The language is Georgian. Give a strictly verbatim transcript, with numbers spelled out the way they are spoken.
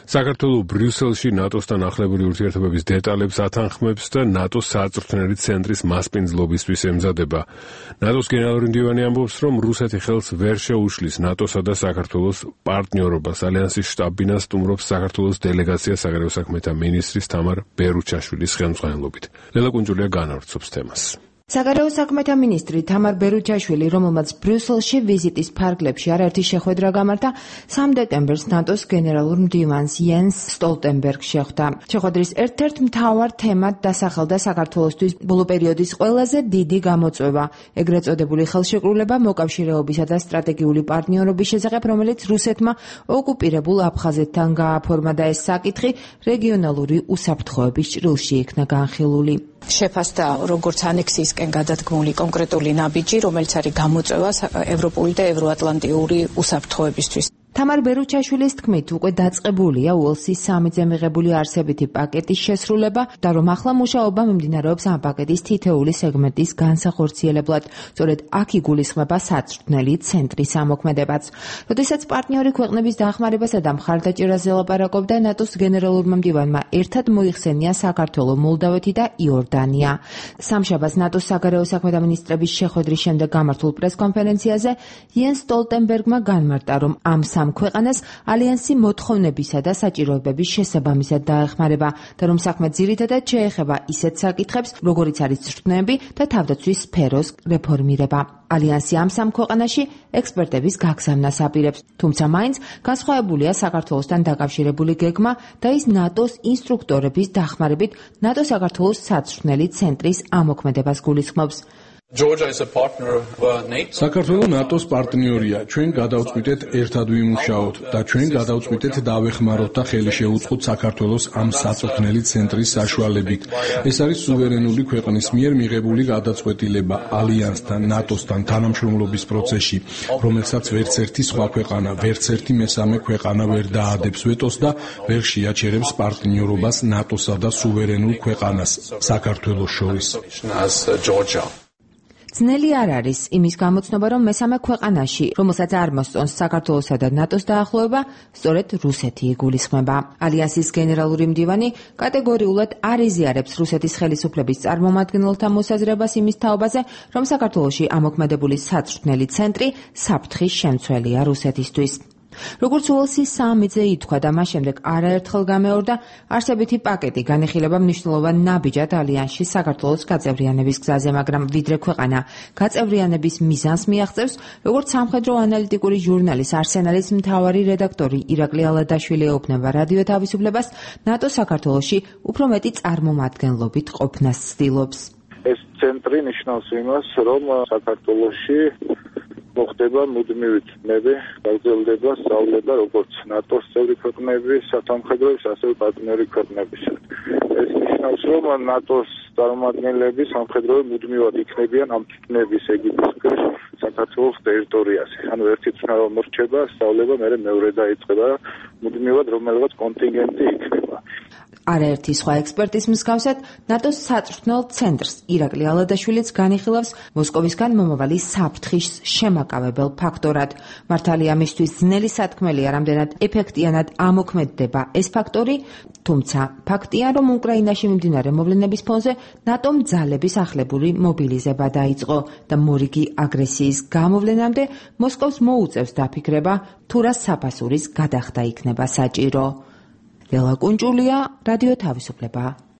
საქართველო ბრიუსელში ნატოსთან ახლებული ურთიერთობების დეტალებს ათანხმებს და ნატოს საწვრთნელი ცენტრის მასპინძლობისთვის ემზადება. ნატოს გენერალური მდივანი ამბობს, რომ რუსეთი ხელს ვერ შეუშლის ნატოსა და საქართველოს პარტნიორობას. ალიანსის შტაბ-ბინას სტუმრობს საქართველოს დელეგაცია საგარეო საქმეთა მინისტრის თამარ ბერუჩაშვილის ხელმძღვანელობით. ლელა კუნჯულია განავრცობს თემას. საგარეო საქმეთა მინისტრი თამარ ბერუჩაშვილი, რომელმაც ბრიუსელში ვიზიტის ფარგლებში არაერთი შეხვედრა გამართა, სამი დეკემბერს ნატოს გენერალურ მდივანს იენს სტოლტენბერგს შეხვდა. შეხვედრის ერთ-ერთ მთავარ თემად დასახელდა საქართველოსთვის ბოლო პერიოდის ყველაზე დიდი გამოწვევა, ეგრეთ წოდებული ხელშეკრულება მოკავშირეობისა და სტრატეგიული პარტნიორობის შესახებ, რომელიც რუსეთმა ოკუპირებულ აფხაზეთთან გააფორმა და ეს საკითხი რეგიონალური უსაფრთხოების ჭრილში იქნა განხილული. შეფასდა როგორც ანექსიისკენ გადადგმული კონკრეტული ნაბიჯი, რომელიც არის გამოწვევა ევროპული და ევროატლანტიური უსაფრთხოებისთვის. თამარ ბერუჩაშვილის თქმით, უკვე დაწყებულია უელსის სამიზე მიღებული არსებითი პაკეტის შესრულება და რომ ახლა მუშაობა მიმდინარეობს ამ პაკეტის თითეული სეგმენტის განსახორციელებლად. სწორედ აქ იგულისხმება საწვრთნელი ცენტრის ამოქმედებაც. როდესაც პარტნიორი ქვეყნების დახმარებასა და მხარდაჭერაზე ლაპარაკობდა, ნატოს გენერალურმა მდივანმა ერთად მოიხსენია საქართველო, მოლდავეთი და იორდანია. სამშაბათს ნატოს საგარეო საქმეთა მინისტრების შეხვედრის შემდეგ გამართულ პრესკონფერენციაზე იენს სტოლტენბერგმა განმარტა, რომ ამ სამ ქვეყანას ალიანსი მოთხოვნებისა და საჭიროებების შესაბამისად დაეხმარება და რომ საქმე ძირითადად შეეხება ისეთ საკითხებს, როგორიც არის წვრთნები და თავდაცვის სფეროს რეფორმირება. ალიანსი ამ სამ ქვეყანაში ექსპერტების გაგზავნას აპირებს, თუმცა მაინც განსხვავებულია საქართველოსთან დაკავშირებული გეგმა და ის ნატოს ინსტრუქტორების დახმარებით ნატო-საქართველოს საწვრთნელი ცენტრის ამოქმედებას გულისხმობს. საქართველო ნატოს პარტნიორია. ჩვენ გადავწყვიტეთ ერთად ვიმუშაოთ და ჩვენ გადავწყვიტეთ დავეხმაროთ და ხელი შევუწყოთ საქართველოს ამ საწვრთნელი ცენტრის საშუალებით. ეს არის სუვერენული ქვეყნის მიერ მიღებული გადაწყვეტილება ალიანსთან, ნატოსთან თანამშრომლობის პროცესში, რომელსაც ვერც ერთი სხვა ქვეყანა, ვერც ერთი მესამე ქვეყანა ვერ დაადებს ვეტოს და ვერ შეაჩერებს პარტნიორობას ნატოსა და სუვერენულ ქვეყანას საქართველოს შორის. ძნელი არ არის იმის გამოცნობა, რომ მესამე ქვეყანაში, რომელსაც არ მოსწონს საქართველოსა და ნატოს დაახლოება, სწორედ რუსეთი იგულისხმება. ალიანსის გენერალური მდივანი კატეგორიულად არ იზიარებს რუსეთის ხელისუფლების წარმომადგენელთა მოსაზრებას იმის თაობაზე, რომ საქართველოში ამოქმედებული საწვრთნელი ცენტრი საფრთხის შემცველია რუსეთისთვის. როგორც უელსის სამიზე ითქვა და მას შემდეგ არაერთხელ გამეორდა, არსებითი პაკეტი განიხილება მნიშვნელოვან ნაბიჯად ალიანსში საქართველოს გაწევრიანების გზაზე, მაგრამ ვიდრე ქვეყანა გაწევრიანების მიზანს მიაღწევს, როგორც სამხედრო ანალიტიკური ჟურნალის არსენალის მთავარი რედაქტორი ირაკლი ალადაშვილი ეუბნება რადიო თავისუფლებას, ნატო საქართველოში უფრო მეტი წარმომადგენლობით ყოფნას ცდილობს. ეს ცენტრი ნიშნავს იმას, რომ საქართველოში მოხდება მუდმივი წნები, გაგრძელდება სწავლება როგორც ნატოს წევრი ქვეყნების სამხედროების, ასევე პარტნიორი ქვეყნების. ეს ნიშნავს, რომ ნატოს წარმომადგენლები სამხედროები მუდმივად იქნებიან ამ წნების ეგიდის ქვეშ საქართველოს ტერიტორიაზე. ანუ ერთი წნა რომ მორჩება, სწავლება მერე მეორე დაიწყება და მუდმივად რომელიღაც კონტინგენტი იქნება. არაერთი სხვა ექსპერტის მსგავსად, ნატოს საწვრთნელ ცენტრს ირაკლი ალადაშვილიც განიხილავს მოსკოვისგან მომავალი საფრთხის შემაკავებელ ფაქტორად. მართალია მისთვის ძნელი სათქმელია, რამდენად ეფექტიანად ამოქმედდება ეს ფაქტორი, თუმცა ფაქტია, რომ უკრაინაში მიმდინარე მოვლენების ფონზე ნატომ ძალების ახლებური მობილიზება დაიწყო და მორიგი აგრესიის გამოვლენამდე მოსკოვს მოუწევს დაფიქრება, თუ რა საფასურის გადახდა იქნება საჭირო. ლელა კუნჯულია, რადიო თავისუფლება.